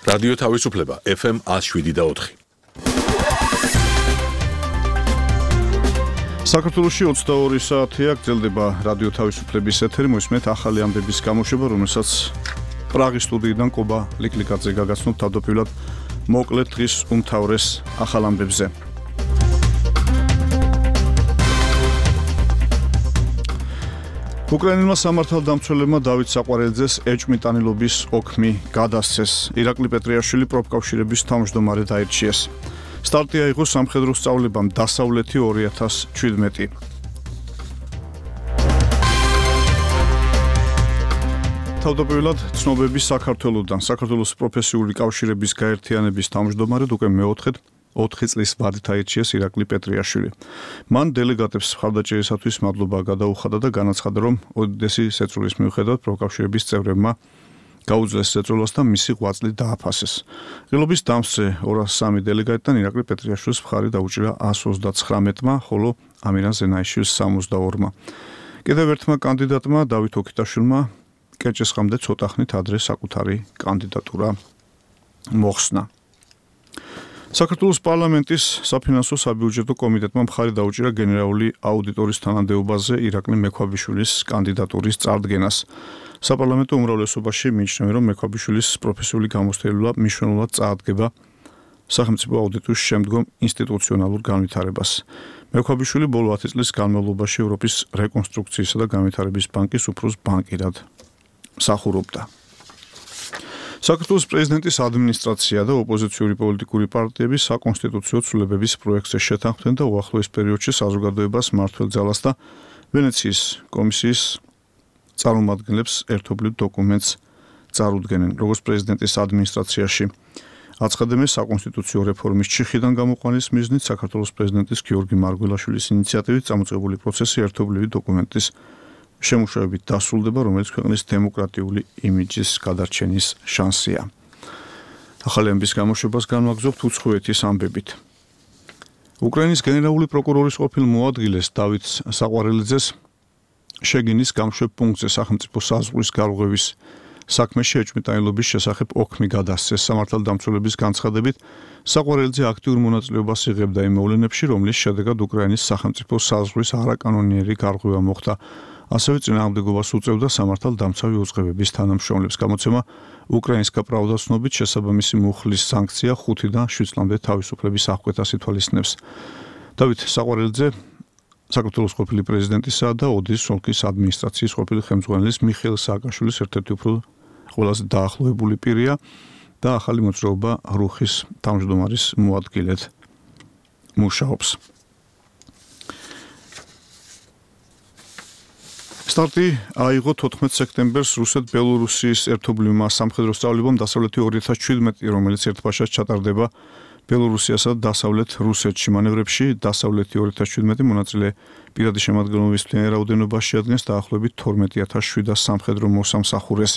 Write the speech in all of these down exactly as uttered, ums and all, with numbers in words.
რადიო თავისუფლება ეფ ემ one oh seven და four. საქართველოში ოცდაორი საათია გრძელდება რადიო თავისუფლების ეთერი, მოისმენთ ახალი ამბების გამოშვება, რომელსაც პრაღის სტუდიიდან კობა ლიკლიკაძე გაგაცნობთ თავდაპირველად მოკლედ დღის უმთავრეს ახალ ამბებზე. უკრაინელმა სამართალდამცველებმა დავით საყვარელიძეს ეჭვმიტანილობის ოქმი გადასცეს. ირაკლი პეტრიაშვილი პროფკავშირების თავმჯდომარე დაირჩიეს. სტარტი აიღო სამხედრო სწავლებამ დასავლეთი ორი ათას შვიდმეტი. თავდაპირველად ცნობები საქართველოსთან. საქართველოს პროფესიული კავშირების გაერთიანების თავმჯდომარედ უკვე მეოთხედ ოთხი წლის ვადით აირჩიეს ირაკლი პეტრიაშვილი. მან დელეგატებს მხარდაჭერისათვის მადლობა გადაუხადა და განაცხადა, რომ ოდესის შეწულის მიუხედავად პროფკავშირების წევრებმა გაუძლეს შეწულას და მისი ღვაწლი დააფასეს. ღილობის დამსწრე ორას სამი დელეგატიდან ირაკლი პეტრიაშვილის მხარი დაუჭირა one ოცდაცხრამეტმა, ხოლო ამირან ზენაიშვილს სამოცდაორმა. კიდევ ერთმა კანდიდატმა დავით ოქიტაშვილმა კერჭესხამდე ცოტა ხნით ადრე საკუთარი კანდიდატურა მოხსნა. საქართველოს პარლამენტის საფინანსო საბიუჯეტო კომიტეტმა მხარი დაუჭირა გენერალური აუდიტორის თანამდებობაზე ირაკლი მექვაბიშვილის კანდიდატურის წარდგენას. საპარლამენტო უმრავლესობაში მიიჩნევა, რომ მექვაბიშვილის პროფესიული გამოცდილება მნიშვნელოვნად წაადგება სახელმწიფო აუდიტის შემდგომ ინსტიტუციონალურ განვითარებას. მექვაბიშვილი ბოლო ათი წლის განმავლობაში ევროპის რეკონსტრუქციისა და განვითარების ბანკის უფროს ბანკირად მსახურობდა. საქართველოს პრეზიდენტის ადმინისტრაცია და ოპოზიციური პოლიტიკური პარტიები საკონსტიტუციო ცვლილებების პროექტზე შეთანხმდნენ და უახლოეს პერიოდში საზოგადოებას მმართველ ძალას და ვენეციის კომისიის წარმომადგენლებს ერთობლივ დოკუმენტს წარუდგენენ. როგორც პრეზიდენტის ადმინისტრაციაში აცხადებენ, საკონსტიტუციო რეფორმის ჩიხიდან გამოყვანის მიზნით საქართველოს პრეზიდენტის გიორგი მარგველაშვილის ინიციატივით წამოწყებული პროცესი ერთობლივი დოკუმენტის შემუშავებით დასრულდება, რომელიც ქვეყნის დემოკრატიული იმიჯის გადარჩენის შანსია. ახალი ამბის გამოშვებას განვაგრძობთ უცხოეთის ამბებით. უკრაინის გენერალური პროკურორის ყოფილ მოადგილეს დავით საყვარელიძეს შეგინის გამშვებ პუნქტზე სახელმწიფო საზღვრის გარღვევის საქმეში ეჭვმიტანილობის შესახებ ოქმი გადასცეს. სამართალდამცველების განცხადებით, საყვარელიძე აქტიურ მონაწილეობას იღებდა იმ მოვლენებში, რომლის შედეგად უკრაინის სახელმწიფო საზღვრის არაკანონიერი გარღვევა მოხდა. ასევე წინააღმდეგობას უწევდა სამართალდამცავი უწყებების თანამშრომლებს. გამოცემა უკრაინსკა პრავდა ცნობით შესაბამისი მუხლის სანქცია ხუთიდან შვიდ წლამდე თავისუფლების აღკვეთას ითვალისწინებს. დავით საყვარელიძე საქართველოს ყოფილი პრეზიდენტისა და ოდიშის ოლქის ადმინისტრაციის ყოფილი ხელმძღვანელის მიხეილ სააკაშვილის ერთ-ერთი უფრო ყველაზე დაახლოებული პირია და ახალი მოძრაობა რუხის თავმჯდომარის მოადგილედ მუშაობს. სტარტი აიღო თოთხმეტ სექტემბერს რუსეთ-ბელორუსიის ერთობლივმა სამხედრო სწავლებამ დასავლეთი ორი ათას შვიდმეტი, რომელიც ერთბაშად ჩატარდება ბელორუსიასა და დასავლეთ რუსეთში. მანევრებში დასავლეთი ორი ათას შვიდმეტი მონაწილე პირადი შემადგენლობის მთლიანი რაოდენობა შეადგენს დაახლოებით თორმეტი ათას შვიდას სამხედრო მოსამსახურეს.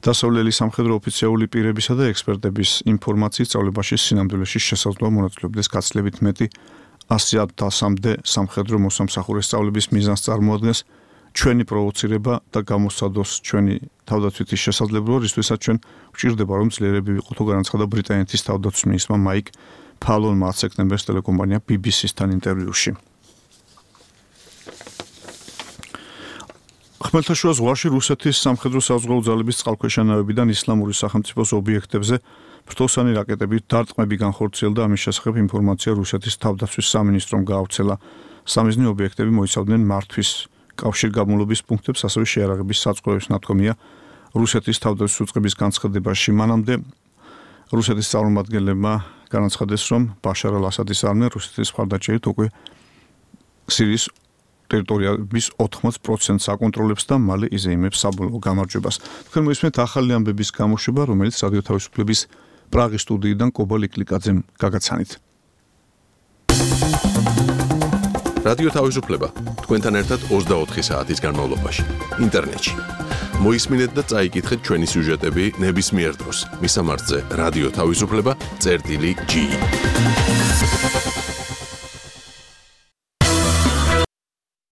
დასავლელი სამხედრო ოფიციალური პირებისა და ექსპერტების ინფორმაციით სწავლებაში სინამდვილეში შესაძლოა მონაწილეობდეს გაცილებით მეტი ასი ათასამდე სამხედრო მოსამსახურეს. სწავლების მიზანს წარმოადგენს ჩვენი პროვოცირება და გამოსცადოს ჩვენი თავდაცვითი შესაძლებლობა, რისთვისაც ჩვენ ვჭირდება, რომ ძლიერები ვიყოთ, განაცხადა ბრიტანეთის თავდაცვის მინისტრმა მაიკ ფალონმა ათი სექტემბერს ტელეკომპანია ბი ბი სი-სთან ინტერვიუში. ხმელთაშუა ზღვაში რუსეთის სამხედრო საზღვაო ძალების წყალქვეშა-ნავებიდან ისლამური სახელმწიფოს ობიექტებზე ფრთოსანი რაკეტებით დარტყმები განხორციელდა. ამის შესახებ ინფორმაცია რუსეთის თავდაცვის სამინისტრომ გაავრცელა. სამიზნე ობიექტები მოიცავდნენ მართვის კავშირგაბმულობის პუნქტებს, ასევე შეიარაღების საწყობებს. ნათქვამია რუსეთის თავდაცვის უწყების განცხადებაში. მანამდე რუსეთის წარმომადგენლებმა განაცხადეს, რომ ბაშარ ალ-ასადის არმია რუსეთის მხარდაჭერით უკვე სირიის ტერიტორიების ოთხმოც პროცენტს აკონტროლებს და მალე იზეიმებს საბოლოო გამარჯვებას. თქვენ მოისმენთ ახალი ამბების გამოშვება, რომელიც რადიო თავისუფლების პრაღის სტუდიიდან კობა ლიკლიკაძემ გაგაცანით. რადიო თავისუფლება თქვენთან ერთად ოცდაოთხი საათის განმავლობაში ინტერნეტში. მოისმინეთ და წაიკითხეთ ჩვენი სიუჟეტები ნებისმიერ დროს. მისამართზე რადიო თავისუფლება წერტილი ჯი.